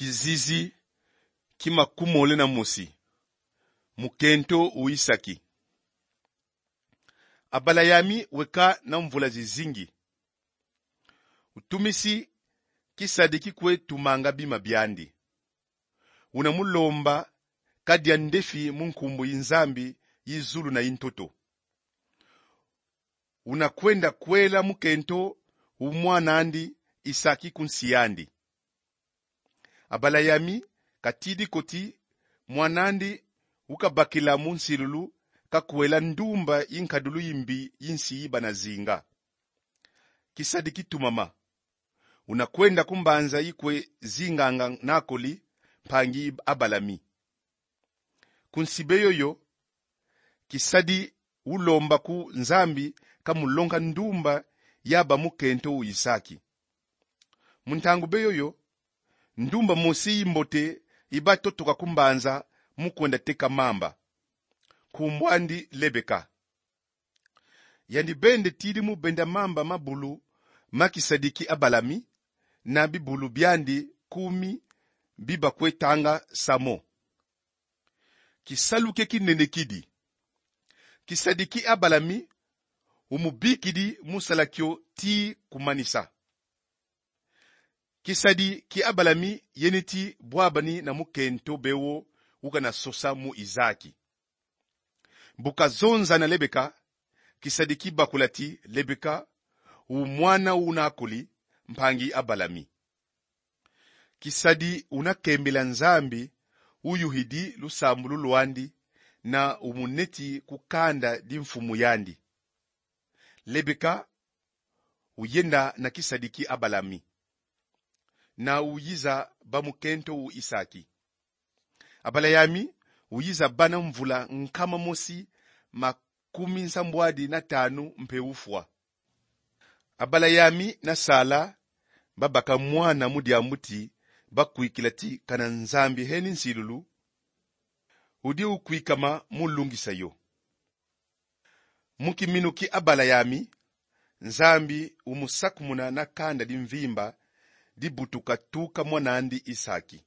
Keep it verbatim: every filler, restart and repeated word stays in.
Kizizi ki makumole na mosi. Mukento u Isaki. Abalayami weka na mvula zizingi. Utumisi kisadiki kwe tumanga bima biandi. Una mulomba kadia ndefi mu nkumbu yi Nzambi yi zulu na yi ntoto. Una kwenda kwela mukento u mwan'andi Isaki ku nsi yandi. Abalayami katidi ko ti mwan'andi ukabakila mu nsilulu kakwela ndumba yi nkadulu yi mbi yi nsi yi bana zinga. Kisadiki tumama. Una kwenda ku mbanza yi kwe zinganga Nakoli, mpangi Abalami. Ku nsi be yoyo, kisadi ulomba ku Nzambi kamulonga ndumba yaba mukento u Isaki. Mu ntangu be yoyo, ndumba mosi yi mbote yi batotoka ku mbanza mu kwenda teka mamba. Nkumbu andi Lebeka. Yandi bende tidi mu benda mamba ma bulu ma kisadiki Abalami na bibulu biandi kumi bi bakwe tanga samo. Kisalu ke kinene kidi. Kisadiki Abalami umubikidi mu sala kio tii kumanisa. Kisadiki Abalami yeni ti bwabani na mukento be wo ukana sosa mu Isaki. Bu kazonza na Lebeka, kisadiki bakula ti Lebeka u mwana u Nakoli, mpangi Abalami. Kisadi una kembila Nzambi uyuhidi lusambulu lwandi na umuneti ku kanda di mfumu yandi. Lebeka uyenda na kisadiki Abalami na uyiza ba mukento u Isaki. Abalayami uyiza bana mvula nkama mosi makumi nsambwadi na tanu mpe ufwa. Abalayami na Sala babaka mwana mu diambu ti bakwikila ti kana Nzambi heni nsilulu udi ukwikama mu lungisa yo. Mu kiminu ki Abalayami, Nzambi umusakumuna na kanda di mvimba dibutuka tuka mwan'andi Isaki.